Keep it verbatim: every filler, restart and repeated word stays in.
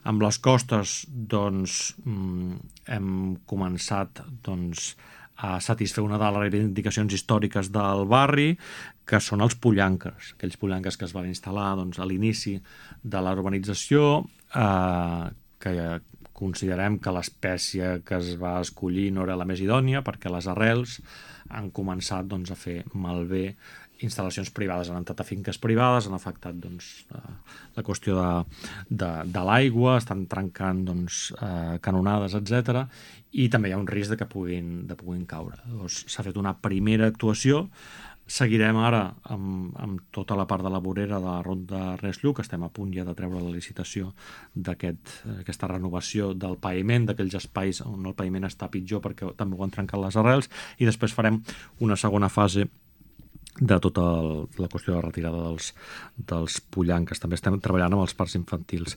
Amb les costes, doncs, hem començat doncs, a satisfer una de les reivindicacions històriques del barri, que són els pollanques, aquells pollanques que es van instal·lar doncs, a l'inici de la urbanització, eh, que considerem que l'espècie que es va escollir no era la més idònia, perquè les arrels han començat doncs, a fer malbé instal·lacions privades, han entrat a finques privades, han afectat doncs, la qüestió de, de, de l'aigua, estan trencant doncs, eh, canonades, etcètera, i també hi ha un risc de que puguin, de puguin caure. Llavors, s'ha fet una primera actuació, seguirem ara amb, amb tota la part de la vorera de la Ronda Res-Lluc, estem a punt ja de treure la licitació d'aquesta aquest, renovació del paviment, d'aquells espais on el paviment està pitjor perquè també ho han trencat les arrels, i després farem una segona fase de tota el, la qüestió de retirada dels, dels pollanques. També estem treballant amb els parcs infantils.